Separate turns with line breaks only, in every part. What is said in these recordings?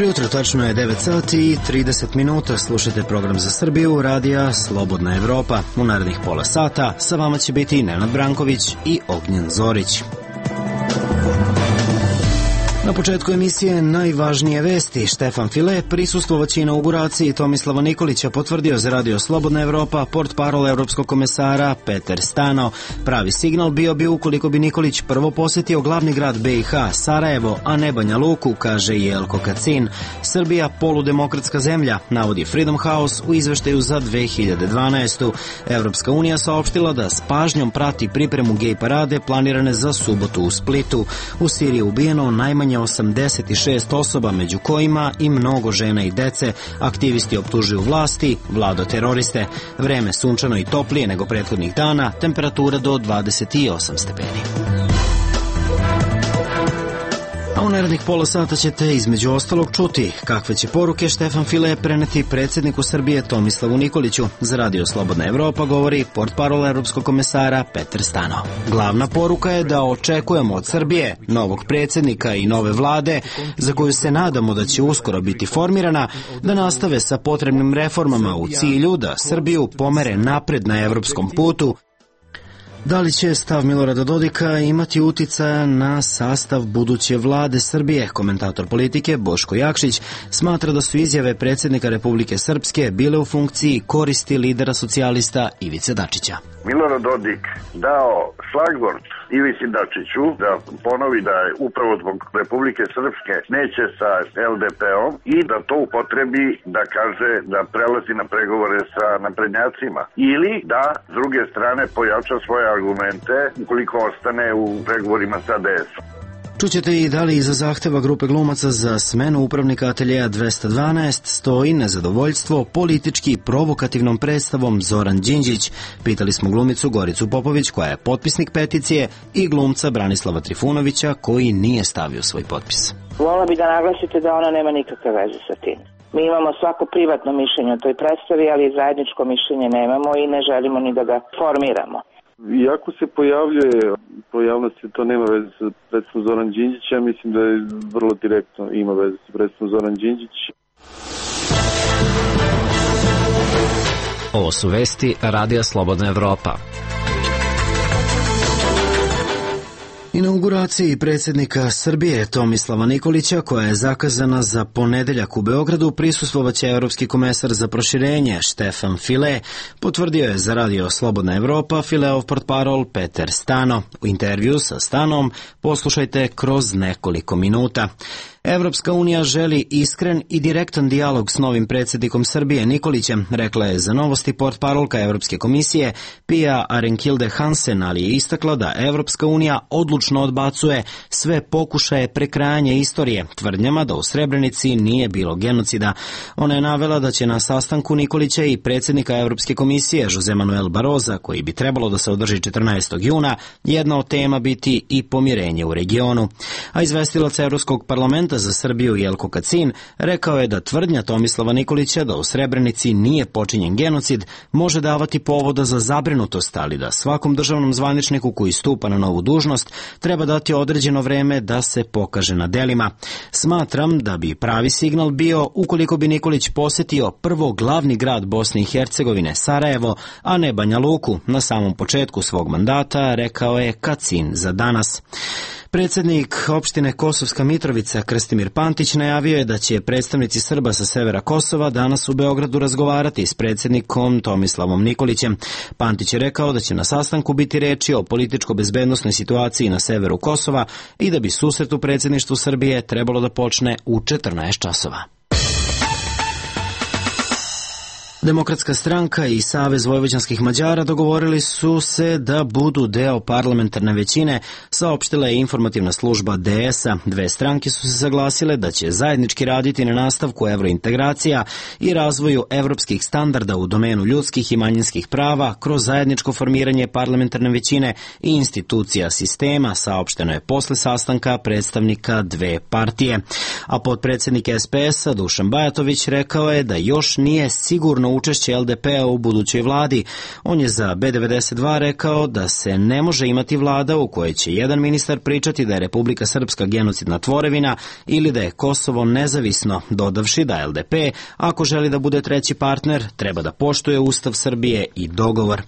Dobro jutro, tačno je 9 sati i 30 minuta. Slušajte program za Srbiju, radija Slobodna Evropa. U narednih pola sata sa vama će biti Nenad Branković i Ognjen Zorić. Na početku emisije najvažnije vesti. Štefan File prisustvovaće inauguraciji Tomislava Nikolića, potvrdio za radio Slobodna Evropa portparol evropskog komesara Peter Stano. Pravi signal bio bi ukoliko bi Nikolić prvo posjetio glavni grad BiH, Sarajevo, a ne Banja Luku, kaže Jelko Kacin. Srbija poludemokratska zemlja, navodi Freedom House u izveštaju za 2012. Evropska unija saopštila da s pažnjom prati pripremu gej parade planirane za subotu u Splitu. U Siriji je ubijeno najmanje 86 osoba, među kojima i mnogo žena i dece. Aktivisti optužuju vlasti, vlado teroriste. Vreme sunčano i toplije nego prethodnih dana, temperatura do 28 stepeni. A u narednih pola sata ćete između ostalog čuti kakve će poruke Štefan File preneti predsjedniku Srbije Tomislavu Nikoliću. Za radio Slobodna Evropa govori portparol evropskog komesara Peter Stano. Glavna poruka je da očekujemo od Srbije novog predsjednika i nove vlade, za koju se nadamo da će uskoro biti formirana, da nastave sa potrebnim reformama u cilju da Srbiju pomere napred na evropskom putu. Da li će stav Milorada Dodika imati uticaja na sastav buduće vlade Srbije? Komentator politike Boško Jakšić smatra da su izjave predsjednika Republike Srpske bile u funkciji koristi lidera socijalista Ivice Dačića.
Milorad Dodik dao šlagvort Ivici Dačiću da ponovi da je upravo zbog Republike Srpske neće sa LDP-om i da to upotrebi da kaže da prelazi na pregovore sa naprednjacima ili da s druge strane pojača svoje argumente ukoliko ostane u pregovorima sa DS-om.
Čućete i da li iza zahteva grupe glumaca za smenu upravnika ateljeja 212 stoji nezadovoljstvo politički provokativnom predstavom Zoran Đinđić. Pitali smo glumicu Goricu Popović, koja je potpisnik peticije, i glumca Branislava Trifunovića, koji nije stavio svoj potpis.
Volila bi da naglasite da ona nema nikakve veze sa tim. Mi imamo svako privatno mišljenje o toj predstavi, ali zajedničko mišljenje nemamo i ne želimo ni da ga formiramo.
Iako se pojavljuje pojavnosti, to nema veze sa predstavom Zoran Đinđić, ja mislim da je vrlo direktno ima veze sa predstavom Zoran Đinđić.
Ovo su vesti Radija Slobodna Evropa.
Inauguraciji predsjednika Srbije Tomislava Nikolića, koja je zakazana za ponedeljak u Beogradu, prisustvovaće evropski komesar za proširenje Štefan File, potvrdio je za radio Slobodna Evropa Fileov portparol Peter Stano. U intervju sa Stanom poslušajte kroz nekoliko minuta. Evropska unija želi iskren i direktan dijalog s novim predsjednikom Srbije Nikolićem, rekla je za Novosti portparolka Evropske komisije Pia Arenkilde Hansen, ali je istakla da Evropska unija odlučno odbacuje sve pokušaje prekrajanja istorije, tvrdnjama da u Srebrenici nije bilo genocida. Ona je navela da će na sastanku Nikolića i predsjednika Evropske komisije Jose Manuel Barroza, koji bi trebalo da se održi 14. juna, jedna od tema biti i pomirenje u regionu. A izvestilac Evropskog parlamenta za Srbiju Jelko Kacin rekao je da tvrdnja Tomislava Nikolića da u Srebrenici nije počinjen genocid može davati povoda za zabrinutost, ali da svakom državnom zvaničniku koji stupa na novu dužnost treba dati određeno vreme da se pokaže na delima. Smatram da bi pravi signal bio ukoliko bi Nikolić posjetio prvo glavni grad Bosne i Hercegovine, Sarajevo, a ne Banja Luku, na samom početku svog mandata, rekao je Kacin za Danas. Predsjednik opštine Kosovska Mitrovica Krstimir Pantić najavio je da će predstavnici Srba sa severa Kosova danas u Beogradu razgovarati s predsjednikom Tomislavom Nikolićem. Pantić je rekao da će na sastanku biti reči o političko-bezbednosnoj situaciji na severu Kosova i da bi susret u predsjedništvu Srbije trebalo da počne u 14 časova. Demokratska stranka i Savez vojvođanskih Mađara dogovorili su se da budu deo parlamentarne većine, saopštila je informativna služba DS-a. Dve stranke su se saglasile da će zajednički raditi na nastavku evrointegracija i razvoju evropskih standarda u domenu ljudskih i manjinskih prava kroz zajedničko formiranje parlamentarne većine i institucija sistema, saopšteno je posle sastanka predstavnika dve partije. A potpredsjednik SPS-a Dušan Bajatović rekao je da još nije sigurno sigurno učešće LDP-a u budućoj vladi. On je za B92 rekao da se ne može imati vlada u kojoj će jedan ministar pričati da je Republika Srpska genocidna tvorevina ili da je Kosovo nezavisno, dodavši da LDP, ako želi da bude treći partner, treba da poštuje Ustav Srbije i dogovor.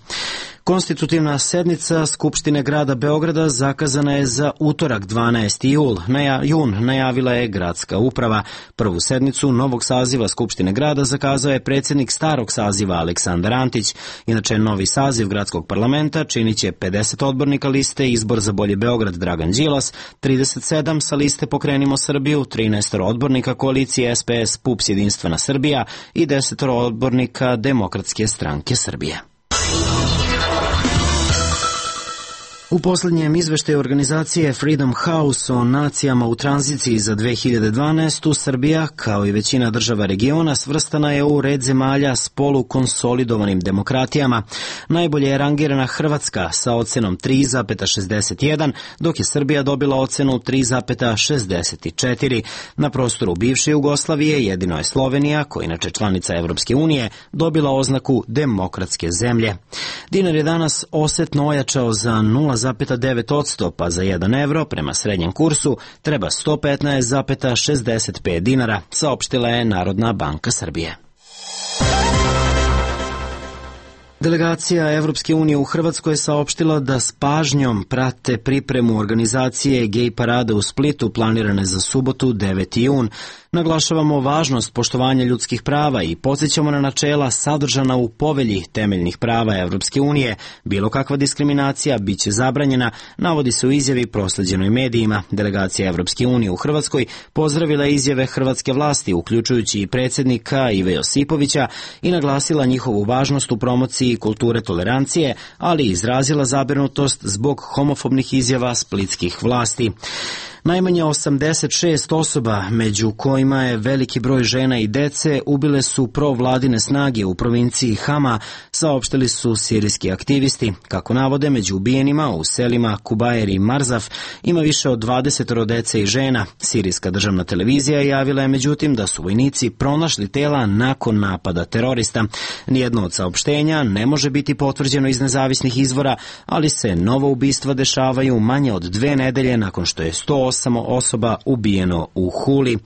Konstitutivna sednica Skupštine grada Beograda zakazana je za utorak 12. jun, najavila je gradska uprava. Prvu sednicu novog saziva Skupštine grada zakazao je predsjednik starog saziva Aleksandar Antić. Inače, novi saziv gradskog parlamenta činit će 50 odbornika liste Izbor za bolji Beograd Dragan Đilas, 37 sa liste Pokrenimo Srbiju, 13 odbornika koalicije SPS PUPS Jedinstvena Srbija i 10 odbornika Demokratske stranke Srbije. U posljednjem izveštaju organizacije Freedom House o nacijama u tranziciji za 2012. Srbija, kao i većina država regiona, svrstana je u red zemalja s polukonsolidovanim demokratijama. Najbolje je rangirana Hrvatska sa ocenom 3,61, dok je Srbija dobila ocenu 3,64. Na prostoru bivše Jugoslavije jedino je Slovenija, koja inače članica Evropske unije, dobila oznaku demokratske zemlje. Dinar je danas osetno ojačao za 0,9%, pa za 1 evro prema srednjem kursu treba 115,65 dinara, saopštila je Narodna banka Srbije. Delegacija Evropske unije u Hrvatskoj je saopštila da s pažnjom prate pripremu organizacije gej parade u Splitu planirane za subotu 9. jun. Naglašavamo važnost poštovanja ljudskih prava i podsjećamo na načela sadržana u povelji temeljnih prava Evropske unije. Bilo kakva diskriminacija biće zabranjena, navodi se u izjavi prosleđenoj medijima. Delegacija Evropske unije u Hrvatskoj pozdravila izjave hrvatske vlasti, uključujući i predsjednika Ive Josipovića, i naglasila njihovu važnost u promociji kulture tolerancije, ali i izrazila zabrinutost zbog homofobnih izjava splitskih vlasti. Najmanje 86 osoba, među kojima je veliki broj žena i dece, ubile su provladine snage u provinciji Hama, saopštili su sirijski aktivisti. Kako navode, među ubijenima u selima Kubajer i Marzaf ima više od 20 dece i žena. Sirijska državna televizija javila je međutim da su vojnici pronašli tela nakon napada terorista. Nijedno od saopštenja ne može biti potvrđeno iz nezavisnih izvora, ali se nova ubistva dešavaju manje od 2 nedelje nakon što je 108 osoba ubijeno u Huli.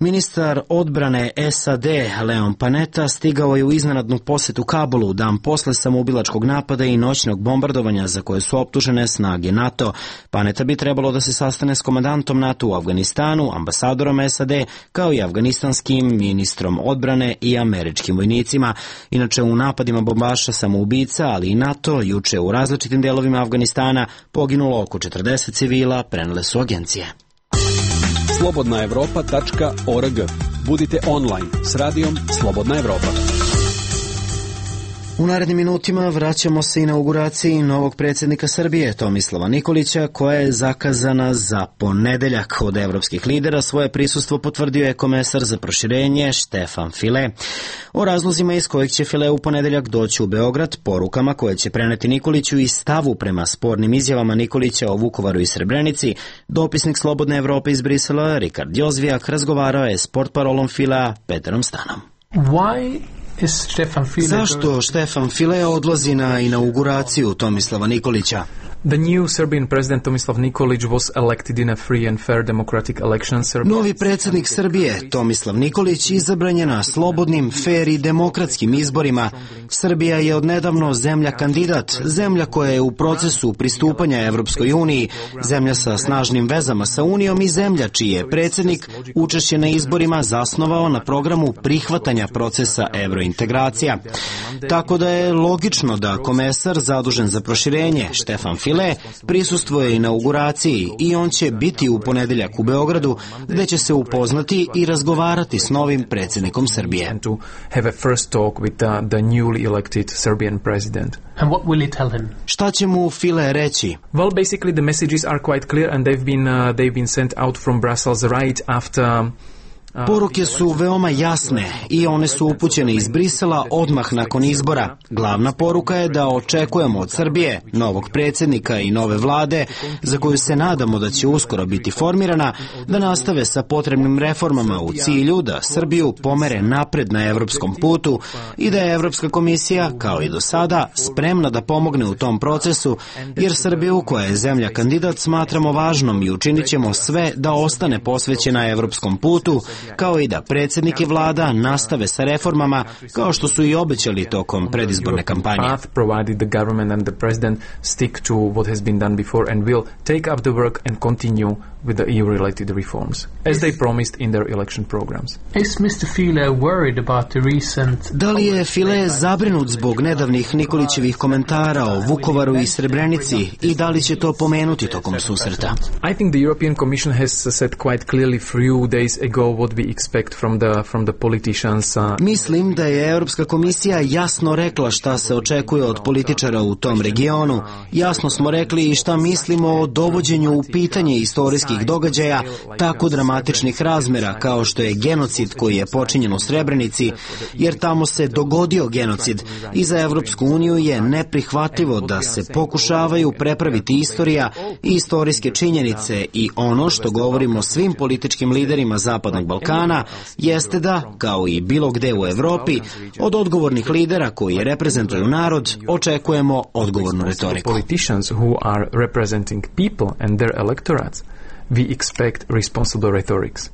Ministar odbrane SAD Leon Panetta stigao je u iznenadnu posjetu Kabulu dan posle samoubilačkog napada i noćnog bombardovanja za koje su optužene snage NATO. Panetta bi trebalo da se sastane s komandantom NATO u Afganistanu, ambasadorom SAD, kao i afganistanskim ministrom odbrane i američkim vojnicima. Inače, u napadima bombaša samoubica, ali i NATO, juče u različitim delovima Afganistana poginulo oko 40 civila, prenele su agencije.
slobodnaevropa.org. Budite online s radijom Slobodna Evropa.
U narednim minutima vraćamo se inauguraciji novog predsjednika Srbije, Tomislava Nikolića, koja je zakazana za ponedeljak. Od evropskih lidera svoje prisustvo potvrdio je komesar za proširenje Štefan File. O razlozima iz kojih će File u ponedeljak doći u Beograd, porukama koje će preneti Nikoliću i stavu prema spornim izjavama Nikolića o Vukovaru i Srebrenici, dopisnik Slobodne Evrope iz Brisela, Rikard Jozvijak, razgovarao je s portparolom Filea Peterom Stanom. Zašto Štefan File odlazi na inauguraciju Tomislava Nikolića?
The new Serbian president Tomislav Nikolić was elected in a free and fair democratic election.
Novi predsjednik Srbije, Tomislav Nikolić, izabran je na slobodnim, fair i demokratskim izborima. Srbija je odnedavno zemlja kandidat, zemlja koja je u procesu pristupanja Evropskoj uniji, zemlja sa snažnim vezama sa Unijom i zemlja čiji je predsjednik učešće na izborima zasnovao na programu prihvatanja procesa evrointegracija. Tako da je logično da komesar zadužen za proširenje, Štefan File, prisustvuje inauguraciji i on će biti u ponedeljak u Beogradu, gde će se upoznati i razgovarati s novim predsjednikom Srbije.
And what will he tell him?
Šta će mu File reći?
Well, basically the messages are quite clear and they've been sent out from Brussels right after
Poruke su veoma jasne i one su upućene iz Brisela odmah nakon izbora. Glavna poruka je da očekujemo od Srbije, novog predsjednika i nove vlade, za koju se nadamo da će uskoro biti formirana, da nastave sa potrebnim reformama u cilju da Srbiju pomere napred na evropskom putu i da je Evropska komisija, kao i do sada, spremna da pomogne u tom procesu, jer Srbiju, koja je zemlja kandidat, smatramo važnom i učinit ćemo sve da ostane posvećena evropskom putu, kao i da predsjednik i vlada nastave sa reformama, kao što su i obećali tokom predizborne kampanje.
With the EU-related reforms, as they promised in their election programs.
Is Mr. File worried about the recent...
Da li je File zabrinut zbog nedavnih Nikolićevih komentara o Vukovaru i Srebrenici i da li će to pomenuti tokom susreta?
I think the European Commission has said quite clearly few days ago what we expect from the politicians.
Mislim da je Europska komisija jasno rekla šta se očekuje od političara u tom regionu. Jasno smo rekli i šta mislimo o dovođenju u pitanje istorijskih događaja tako dramatičnih razmera kao što je genocid koji je počinjen u Srebrenici, jer tamo se dogodio genocid i za Evropsku uniju je neprihvatljivo da se pokušavaju prepraviti istorija i istorijske činjenice i ono što govorimo svim političkim liderima Zapadnog Balkana jeste da, kao i bilo gde u Evropi, od odgovornih lidera koji reprezentuju narod očekujemo odgovornu retoriku.
We expect responsible rhetorics.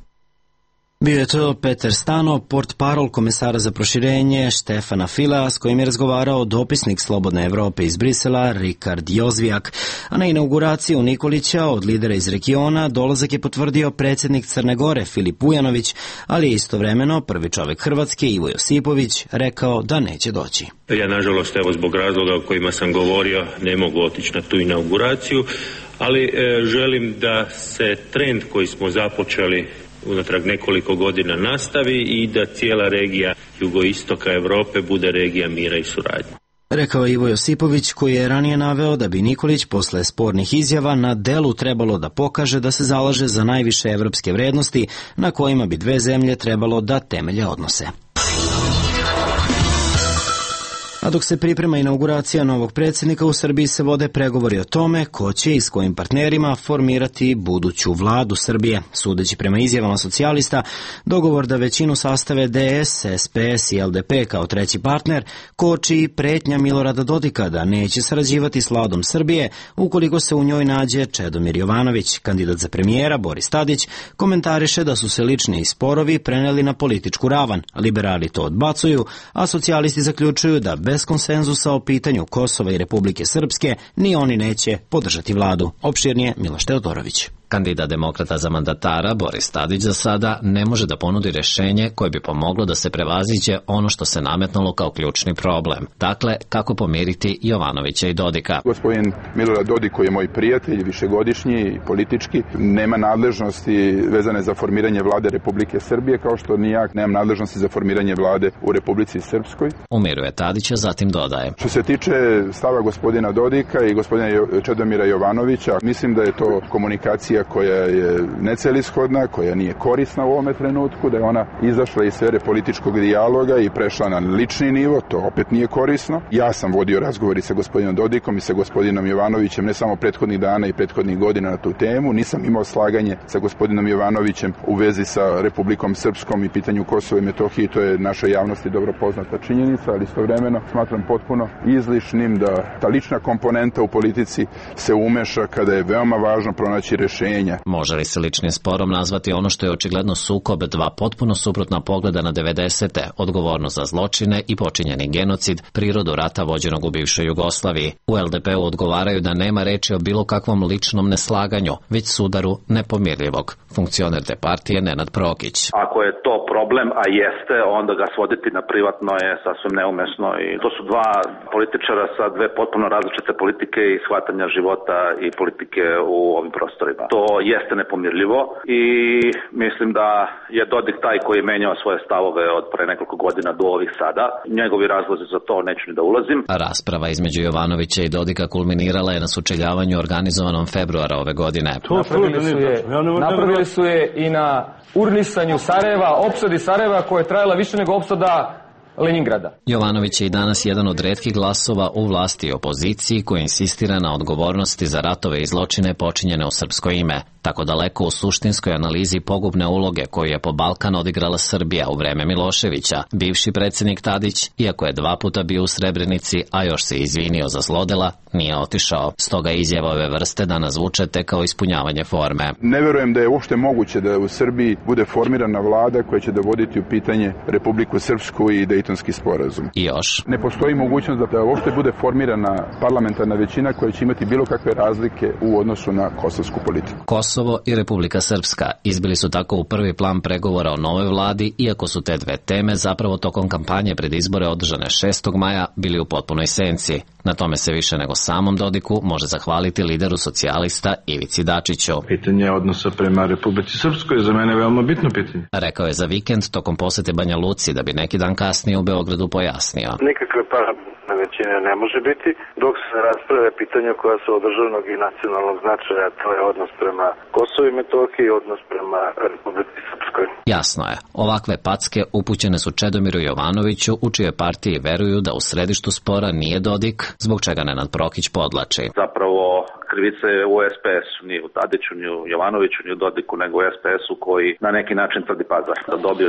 Bio je to Petar Stano, portparol komesara za proširenje Štefana Filea, s kojim je razgovarao dopisnik Slobodne Evrope iz Brisela Rikard Jozvijak, a na inauguraciju Nikolića od lidera iz regiona dolazak je potvrdio predsjednik Crne Gore Filip Vujanović, ali je istovremeno prvi čovjek Hrvatske Ivo Josipović rekao da neće doći.
Ja nažalost evo zbog razloga o kojima sam govorio ne mogu otići na tu inauguraciju, ali želim da se trend koji smo započeli unatrag nekoliko godina nastavi i da cijela regija jugoistoka Europe bude regija mira i suradnje.
Rekao Ivo Josipović, koji je ranije naveo da bi Nikolić posle spornih izjava na delu trebalo da pokaže da se zalaže za najviše evropske vrednosti na kojima bi dve zemlje trebalo da temelje odnose. A dok se priprema inauguracija novog predsjednika, u Srbiji se vode pregovori o tome ko će i s kojim partnerima formirati buduću vladu Srbije. Sudeći prema izjavama socijalista, dogovor da većinu sastave DS, SPS i LDP kao treći partner koči i pretnja Milorada Dodika da neće sarađivati s vladom Srbije ukoliko se u njoj nađe Čedomir Jovanović. Kandidat za premijera Boris Tadić komentariše da su se lični sporovi preneli na političku ravan. Liberali to odbacuju, a socijalisti zaključuju da bez konsenzusa o pitanju Kosova i Republike Srpske ni oni neće podržati vladu. Opširnije Miloš Teodorović.
Kandidat demokrata za mandatara Boris Tadić za sada ne može da ponudi rješenje koje bi pomoglo da se prevaziđe ono što se nametnulo kao ključni problem. Dakle, kako pomiriti Jovanovića i Dodika.
Gospodin Milorad Dodik, koji je moj prijatelj, višegodišnji i politički, nema nadležnosti vezane za formiranje vlade Republike Srbije, kao što ni ja nemam nadležnosti za formiranje vlade u Republici Srpskoj.
Umiruje Tadića, zatim dodaje.
Što se tiče stava gospodina Dodika i gospodina Čedomira Jovanovića, mislim da je to komunikacija koja je necelishodna, koja nije korisna u ovome trenutku, da je ona izašla iz sfere političkog dijaloga i prešla na lični nivo, to opet nije korisno. Ja sam vodio razgovori sa gospodinom Dodikom i sa gospodinom Jovanovićem ne samo prethodnih dana i prethodnih godina na tu temu, nisam imao slaganje sa gospodinom Jovanovićem u vezi sa Republikom Srpskom i pitanju Kosova i Metohije, to je našoj javnosti dobro poznata činjenica, ali istovremeno smatram potpuno izlišnim da ta lična komponenta u politici se umeša kada je veoma važno pronaći rešenje.
Može li se ličnim sporom nazvati ono što je očigledno sukob dva potpuno suprotna pogleda na 90. odgovornost za zločine i počinjeni genocid, prirodu rata vođenog u bivšoj Jugoslaviji? U LDP-u odgovaraju da nema reči o bilo kakvom ličnom neslaganju, već sudaru nepomirljivog. Funkcioner te partije Nenad Prokić.
Ako je to problem, a jeste, onda ga svoditi na privatno je sasvim neumesno i to su dva političara sa dve potpuno različite politike i shvatanja života i politike u ovim prostorima. To jeste nepomirljivo i mislim da je Dodik taj koji je menjao svoje stavove od pre nekoliko godina do ovih sada. Njegovi razlozi za to neću ni da ulazim.
Rasprava između Jovanovića i Dodika kulminirala je na sučeljavanju organizovanom februara ove godine.
Napravili su je i na urnisanju Sarajeva, opsadi Sarajeva koja je trajala više nego opsada Leningrada.
Jovanović je i danas jedan od retkih glasova u vlasti i opoziciji koji insistira na odgovornosti za ratove i zločine počinjene u srpsko ime, tako daleko u suštinskoj analizi pogubne uloge koju je po Balkan odigrala Srbija u vreme Miloševića. Bivši predsjednik Tadić, iako je 2 puta bio u Srebrenici, a još se izvinio za zlodela, nije otišao. Stoga izjava ove vrste danas zvuče tek kao ispunjavanje forme.
Ne verujem da je uopšte moguće da u Srbiji bude formirana vlada koja će dovoditi u pitanje Republiku Srpsku i Dejtonski sporazum.
I još.
Ne postoji mogućnost da uopšte bude formirana parlamentarna većina koja će imati bilo kakve razlike u odnosu na kosovsku politiku.
Kosovo i Republika Srpska izbili su tako u prvi plan pregovora o novoj vladi, iako su te dve teme zapravo tokom kampanje pred izbore održane 6. maja bili u potpunoj senci. Na tome se više nego samom Dodiku može zahvaliti lideru socijalista Ivici Dačiću.
Pitanje odnosa prema Republici Srpskoj je za mene veoma bitno pitanje.
Rekao je za vikend tokom posete Banja Luci, da bi neki dan kasnije u Beogradu pojasnio.
Nikakve parlamentarne većine ne može biti dok se rasprave pitanja koja su od državnog i nacionalnog značaja, to je odnos prema Kosovu i Metohiji i odnos prema Republici Srpskoj.
Jasno je, ovakve packe upućene su Čedomiru Jovanoviću, u čije partiji veruju da u središtu spora nije Dodik, zbog čega Nenad Prokić podlači.
Zapravo krivice u SPS-u, ni u Tadiću, ni u Jovanoviću, ni u Dodiku, nego u SPS-u koji na neki način tvrdi pazar,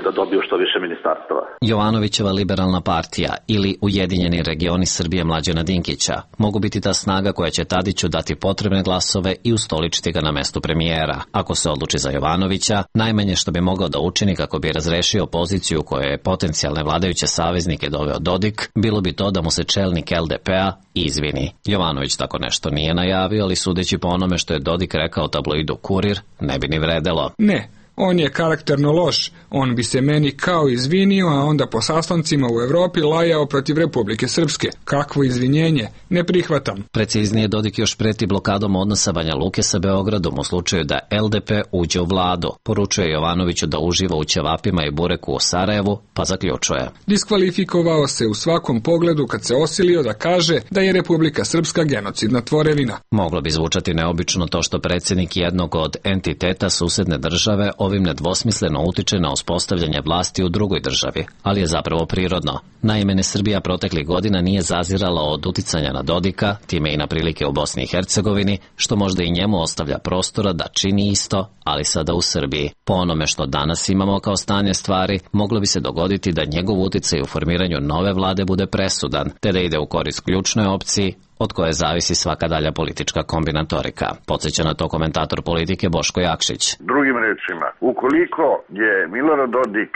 da dobiju što više ministarstava.
Jovanovićeva liberalna partija ili Ujedinjeni regioni Srbije Mlađana Dinkića mogu biti ta snaga koja će Tadiću dati potrebne glasove i ustoličiti ga na mestu premijera. Ako se odluči za Jovanovića, najmanje što bi mogao da učini kako bi razrešio poziciju koje je potencijalne vladajuće saveznike doveo Dodik, bilo bi to da mu se čelnik LDP-a izvini. Jovanović tako nešto nije najavio, ali sudeći po onome što je Dodik rekao tabloidu Kurir, ne bi ni vredelo.
Ne, on je karakterno loš, on bi se meni kao izvinio, a onda po sastancima u Evropi lajao protiv Republike Srpske. Kakvo izvinjenje, ne prihvatam.
Preciznije, Dodik još preti blokadom odnosa Banja Luke sa Beogradom u slučaju da LDP uđe u vladu. Poručuje Jovanoviću da uživa u ćevapima i bureku u Sarajevu, pa zaključuje.
Diskvalifikovao se u svakom pogledu kad se osilio da kaže da je Republika Srpska genocidna tvorevina.
Moglo bi zvučati neobično to što predsjednik jednog od entiteta susedne države ovim nedvosmisleno utiče na uspostavljanje vlasti u drugoj državi, ali je zapravo prirodno. Naime, Srbija proteklih godina nije zazirala od uticanja na Dodika, time i na prilike u Bosni i Hercegovini, što možda i njemu ostavlja prostora da čini isto, ali sada u Srbiji. Po onome što danas imamo kao stanje stvari, moglo bi se dogoditi da njegov uticaj u formiranju nove vlade bude presudan, te da ide u korist ključnoj opciji, od koje zavisi svaka dalja politička kombinatorika. Podsjeća na to komentator politike Boško Jakšić.
Drugim rečima, ukoliko je Milorad Dodik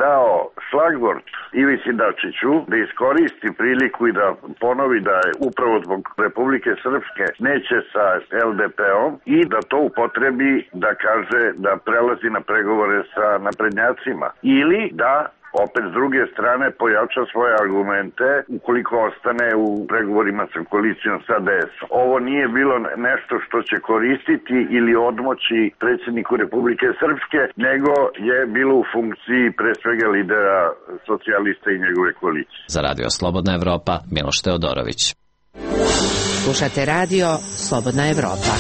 dao šlagvort Ivici Dačiću da iskoristi priliku i da ponovi da je upravo zbog Republike Srpske neće sa LDP-om i da to upotrebi da kaže da prelazi na pregovore sa naprednjacima ili da opet s druge strane pojača svoje argumente ukoliko ostane u pregovorima sa koalicijom sa DS-om. Ovo nije bilo nešto što će koristiti ili odmoći predsjedniku Republike Srpske, nego je bilo u funkciji pre svega lidera socijalista i njegove koalicije.
Za Radio Slobodna Evropa, Miloš Teodorović.
Slušate Radio Slobodna Evropa.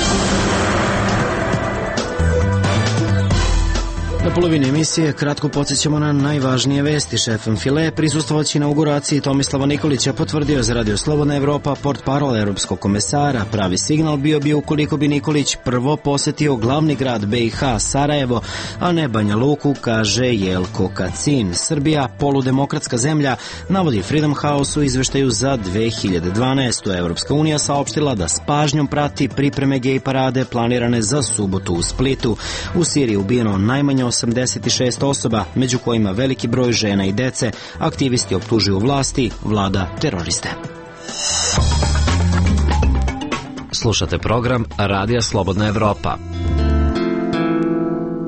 Na polovini emisije kratko podsjećamo na najvažnije vesti. Šef File prisustvovaći inauguraciji Tomislava Nikolića potvrdio za Radio Slobodna Evropa portparol europskog komesara. Pravi signal bio bi ukoliko bi Nikolić prvo posetio glavni grad BiH Sarajevo, a ne Banja Luku, kaže Jelko Kacin. Srbija, poludemokratska zemlja, navodi Freedom House u izveštaju za 2012. Evropska unija saopštila da s pažnjom prati pripreme gej parade planirane za subotu u Splitu. U Siriji ubijeno najmanje 86 osoba, među kojima veliki broj žena i dece. Aktivisti optužuju vlasti, vlada teroriste.
Slušate program Radija Slobodna Evropa.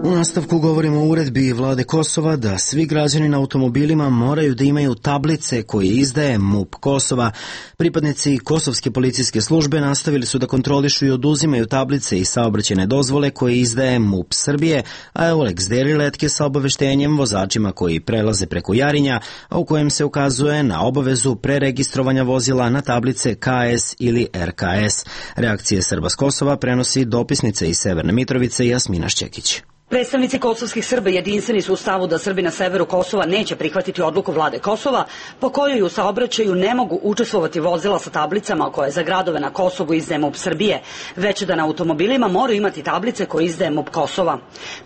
U U nastavku govorimo o uredbi vlade Kosova da svi građani na automobilima moraju da imaju tablice koje izdaje MUP Kosova. Pripadnici kosovske policijske službe nastavili su da kontrolišu i oduzimaju tablice i saobraćajne dozvole koje izdaje MUP Srbije, a Eulex deli letke sa obaveštenjem vozačima koji prelaze preko Jarinja, a u kojem se ukazuje na obavezu preregistrovanja vozila na tablice KS ili RKS. Reakcije Srba s Kosova prenosi dopisnica iz Severne Mitrovice Jasmina Šćekić.
Predstavnici kosovskih Srba jedinstveni su u stavu da Srbi na severu Kosova neće prihvatiti odluku vlade Kosova po kojoj u saobraćaju ne mogu učestvovati vozila sa tablicama koje za gradove na Kosovu izdaje MUP Srbije, već da na automobilima moraju imati tablice koje izdaje MUP Kosova.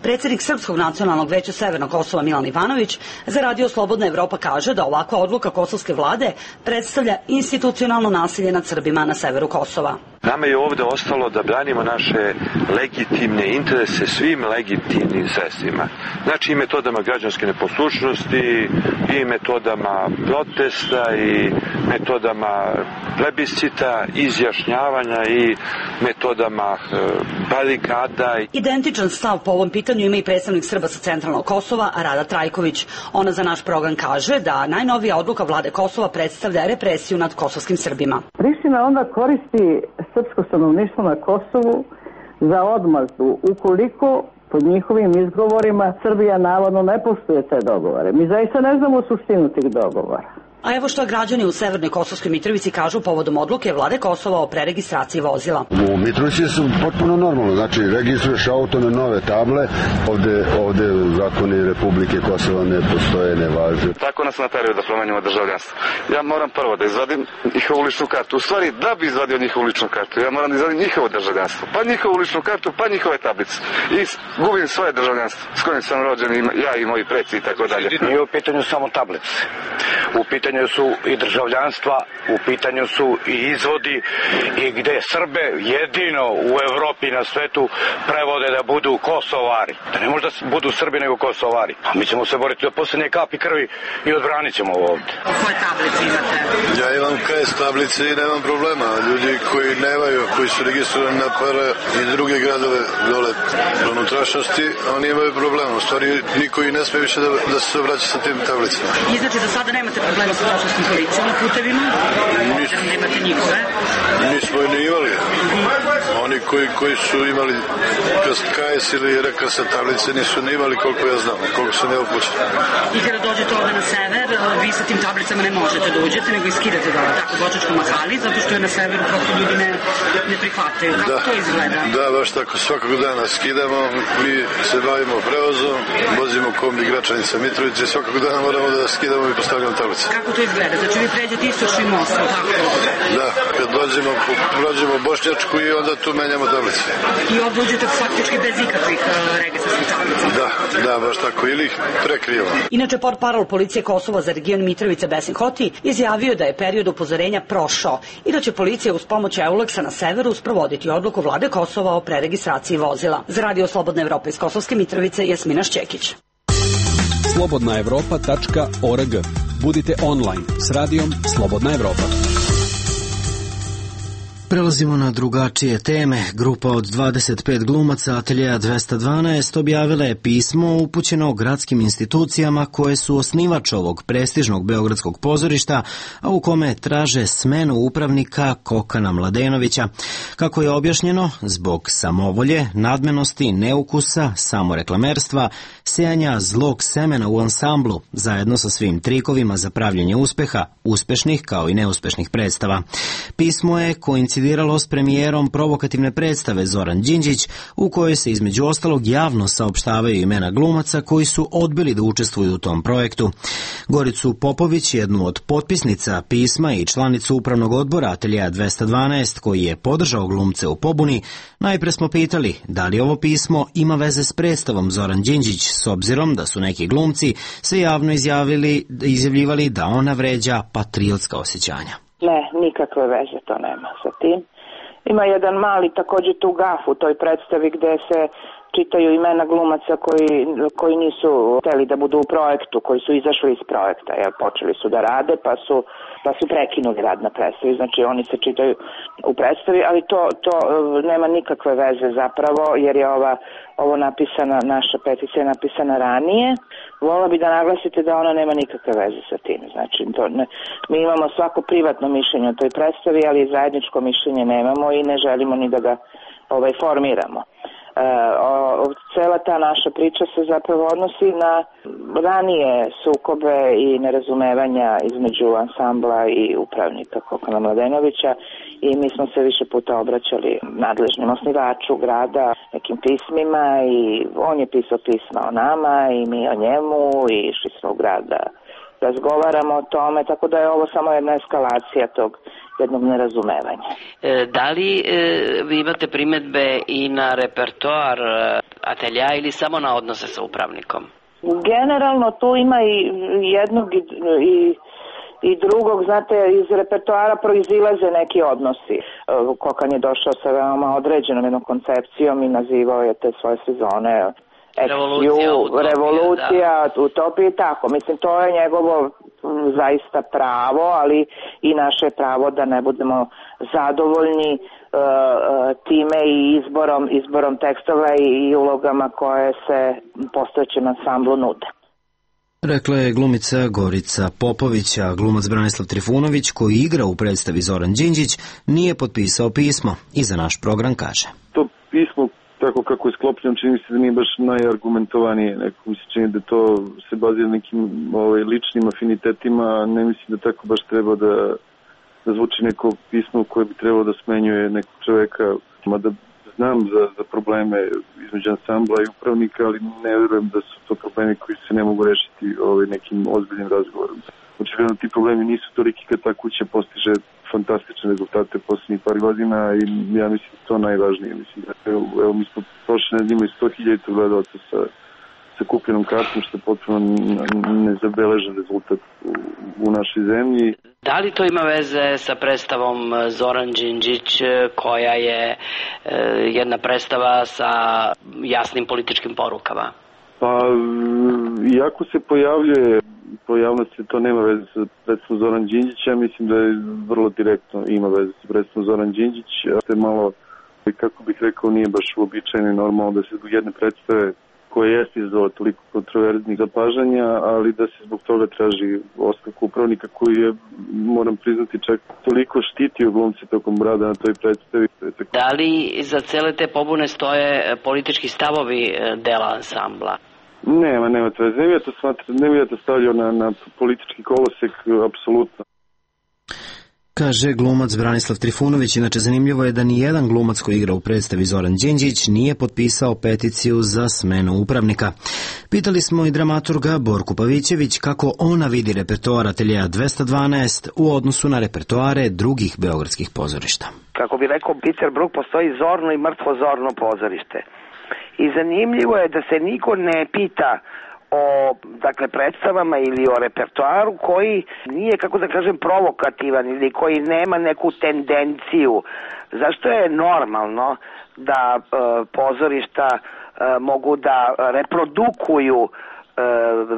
Predsjednik Srpskog nacionalnog veća Severnog Kosova Milan Ivanović za Radio Slobodna Evropa kaže da ovakva odluka kosovske vlade predstavlja institucionalno nasilje nad Srbima na severu Kosova.
Nama je ovde ostalo da branimo naše legitimne interese svim legitimnim sredstvima. Znači i metodama građanske neposlušnosti, i metodama protesta, i metodama plebiscita, izjašnjavanja, i metodama barikada.
Identičan stav po ovom pitanju ima i predstavnik Srba sa centralnog Kosova, Rada Trajković. Ona za naš program kaže da najnovija odluka vlade Kosova predstavlja represiju nad kosovskim Srbima.
Priština onda koristi srpsko stanovništvo na Kosovu za odmazdu ukoliko pod njihovim izgovorima Srbija navodno ne poštuje te dogovore. Mi zaista ne znamo suštinu tih dogovora.
A evo što građani u Severnoj Kosovskoj Mitrovici kažu povodom odluke vlade Kosova o preregistraciji vozila.
U Mitrovici su potpuno normalno, znači registruješ auto na nove table, ovde zakoni Republike Kosova ne postoje, ne važe.
Tako nas nateraju da promenimo državljanstvo. Ja moram prvo da izvadim njihovu ličnu kartu. U stvari, da bi izvadio njihovu ličnu kartu, ja moram da izvadim njihovo državljanstvo, pa njihovu ličnu kartu, pa njihove tablice. I gubim svoje državljanstvo s kojim sam rođen, ja i moji preci i tako dalje.
Nije u pitanju samo tablice. U pitanju su i državljanstva, u pitanju su i izvodi, i gde Srbe jedino u Evropi na svetu prevode da budu Kosovari. Da ne možda budu Srbi nego Kosovari. A mi ćemo se boriti do posljednje kapi krvi i odbranit ćemo ovo ovdje.
Koje tablice imate?
Ja imam KS tablice i nemam problema. Ljudi koji nemaju, koji su registrovani na Para i druge gradove dole u unutrašnjosti, oni imaju problema. U stvari niko i ne smije više da se obraća sa tim tablicama.
I znači da sada nemate problema sa kosovskim policijom na putevima? Nemate njihove?
Nismo i ne imali. Oni koji su imali KS ili RKS tablice nisu ne imali, koliko ja znam, koliko sam ja upućen.
I kada dođete ovde na sever, vi sa tim tablicama ne možete da uđete, nego iskidate dole, tako Bočačka Mahali, zato što je na severu prosto ljudi ne prihvataju. Kako to izgleda?
Da, baš tako, svakog dana skidamo, mi se bavimo prevozom, vozimo kombi Gračanica Mitrovice, svakog dana moramo da skidamo i postavljamo tablice.
Kako to izgleda? Znači vi pređete istočni most, tako?
Da, kad prođemo Bošnjačku i onda tu menjamo tablice.
I ovdje uđete faktički bez ikakvih registarskih tablica?
Da, baš tako, ili ih prekrijemo.
Inače, portparol policije Kosova za region Mitrovica Besin Hoti izjavio da je period upozorenja prošao i da će policija uz pomoć Eulexa na severu sprovoditi odluku vlade Kosova o preregistraciji vozila. Za Radio Slobodna Evropa iz Kosovske Mitrovice, Jasmina Šćekić.
slobodnaevropa.org. Budite online s radijom Slobodna Evropa.
Prelazimo na drugačije teme. Grupa od 25 glumaca Ateljeja 212 objavila je pismo upućeno gradskim institucijama koje su osnivač ovog prestižnog beogradskog pozorišta, a u kome traže smenu upravnika Kokana Mladenovića. Kako je objašnjeno, zbog samovolje, nadmenosti, neukusa, samoreklamerstva, sejanja zlog semena u ansamblu, zajedno sa svim trikovima za pravljenje uspeha, uspešnih kao i neuspešnih predstava. Pismo je koincidiralo s premijerom provokativne predstave Zoran Đinđić, u kojoj se između ostalog javno saopštavaju imena glumaca koji su odbili da učestvuju u tom projektu. Goricu Popović, jednu od potpisnica pisma i članicu upravnog odbora Ateljeja 212, koji je podržao glumce u pobuni, najpre smo pitali da li ovo pismo ima veze s predstavom Zoran Đinđić, s obzirom da su neki glumci se javno izjavljivali da ona vređa patriotska osjećanja.
Ne, nikakve veze to nema sa tim. Ima jedan mali također tu gaf u toj predstavi gde se čitaju imena glumaca koji nisu hteli da budu u projektu, koji su izašli iz projekta, jer počeli su da rade pa su pa su prekinuli rad na predstavi, znači oni se čitaju u predstavi, ali to nema nikakve veze zapravo, jer je ovo napisana, naša peticija je napisana ranije. Volila bi da naglasite da ona nema nikakve veze sa tim, znači mi imamo svako privatno mišljenje o toj predstavi, ali zajedničko mišljenje nemamo i ne želimo ni da ga formiramo. Cela ta naša priča se zapravo odnosi na ranije sukobe i nerazumevanja između ansambla i upravnika Kokana Mladenovića i mi smo se više puta obraćali nadležnim osnivaču grada nekim pismima i on je pisao pisma o nama i mi o njemu i išli smo u grada razgovaramo o tome, tako da je ovo samo jedna eskalacija tog jednog nerazumevanja.
Da li vi imate primetbe i na repertoar atelja ili samo na odnose sa upravnikom?
Generalno tu ima i jednog i drugog, znate, iz repertoara proizilaze neki odnosi. Kokan je došao sa veoma određenom jednom koncepcijom i nazivao je te svoje sezone revolucija, utopija i tako. Mislim, to je njegovo zaista pravo, ali i naše pravo da ne budemo zadovoljni time i izborom tekstova i ulogama koje se postojećem ansamblu nude.
Rekla je glumica Gorica Popović, a glumac Branislav Trifunović, koji igra u predstavi Zoran Đinđić, nije potpisao pismo i za naš program kaže.
To pismo, tako kako je sklopljeno, čini se da nije baš najargumentovanije. Neko mi se čini da to se bazira nekim ličnim afinitetima, ne mislim da tako baš treba da zvuči neko pismo koje bi trebalo da smenjuje nekog čoveka, mada znam za probleme između ansambla i upravnika, ali ne verujem da su to problemi koji se ne mogu rešiti nekim ozbiljnim razgovorom. Očigledno ti problemi nisu toliki kad ta kuća postiže fantastične rezultate posljednjih par godina i ja mislim da to najvažnije. Mislim da evo mi smo prošle nedelje 100.000 gledalaca sa kupljenom kartom, što je potpuno nezabeležen rezultat u našoj zemlji.
Da li to ima veze sa predstavom Zoran Đinđić, koja je jedna predstava sa jasnim političkim porukama?
Pa, iako se pojavnosti to nema veze sa predstavom Zoran Đinđić, ja mislim da je vrlo direktno ima veze sa predstavom Zoran Đinđić, a to je malo, kako bih rekao, nije baš uobičajeno i normalno da se zbog jedne predstave koja jeste izazvala toliko kontroverznih zapažanja, ali da se zbog toga traži ostavku upravnika koji je, moram priznati, čak toliko štitio glumce tokom rada na toj predstavi.
Da li za cele te pobune stoje politički stavovi dela ansambla?
Nema to veze. Ne bih ja to stavljao na politički kolosek, apsolutno.
Kaže glumac Branislav Trifunović. Inače, zanimljivo je da ni jedan glumac koji igra u predstavi Zoran Đinđić nije potpisao peticiju za smenu upravnika. Pitali smo i dramaturga Borku Pavićević kako ona vidi repertoar Ateljeja 212 u odnosu na repertoare drugih beogradskih pozorišta.
Kako bi rekao Peter Brook, postoji zorno i mrtvo zorno pozorište. I zanimljivo je da se niko ne pita o predstavama ili o repertoaru koji nije, kako da kažem, provokativan ili koji nema neku tendenciju. Zašto je normalno da pozorišta mogu da reprodukuju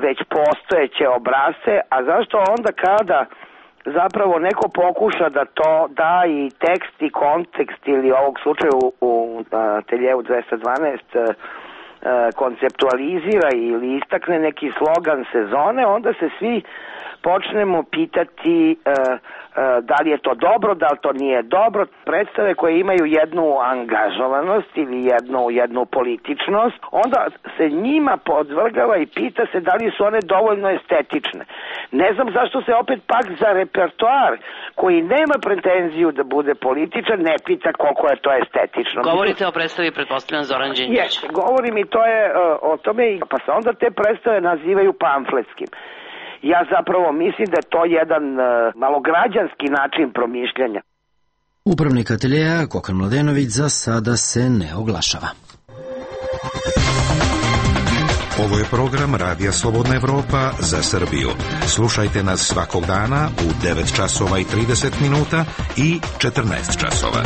već postojeće obrasce, a zašto onda kada zapravo neko pokuša da to da i tekst i kontekst ili ovog slučaja u Ateljevu 212 konceptualizira ili istakne neki slogan sezone, onda se svi počnemo pitati da li je to dobro, da li to nije dobro. Predstave koje imaju jednu angažovanost ili jednu političnost, onda se njima podvrgava i pita se da li su one dovoljno estetične. Ne znam zašto se opet pak za repertoar koji nema pretenziju da bude političan ne pita koliko je to estetično.
Govorite o predstavi, pretpostavljam, Zoran Đinđić.
Govorim i to je o tome, pa se onda te predstave nazivaju pamfletskim. Ja zapravo mislim da je to jedan malograđanski način promišljanja.
Upravnik ateljeja Kokan Mladenović za sada se ne oglašava.
Ovo je program Radija Slobodna Evropa za Srbiju. Slušajte nas svakog dana u 9 časova i 30 minuta i 14 časova.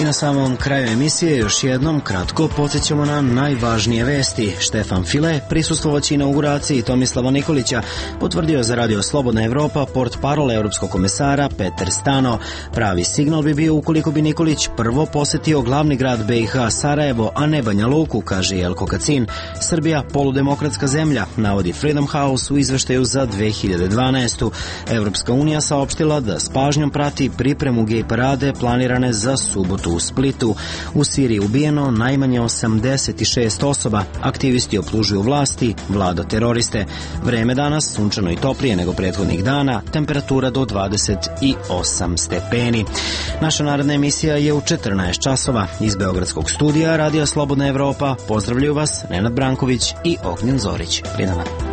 I na samom kraju emisije još jednom kratko podsjećamo na najvažnije vesti. Štefan File, prisustvovaći inauguraciji Tomislava Nikolića, potvrdio za Radio Slobodna Evropa portparol evropskog komesara Peter Stano. Pravi signal bi bio ukoliko bi Nikolić prvo posetio glavni grad BiH Sarajevo, a ne Banja Luku, kaže Jelko Kacin. Srbija poludemokratska zemlja, navodi Freedom House u izveštaju za 2012. Evropska unija saopštila da s pažnjom prati pripremu gej parade planirane za subotu u Splitu. U Siriji ubijeno najmanje 86 osoba. Aktivisti optužuju vlasti, vlada teroriste. Vreme danas sunčano i toplije nego prethodnih dana, temperatura do 28 stepeni. Naša naredna emisija je u 14 časova. Iz Beogradskog studija Radija Slobodna Evropa pozdravljaju vas Nenad Branković i Ognjen Zorić. Prijatno.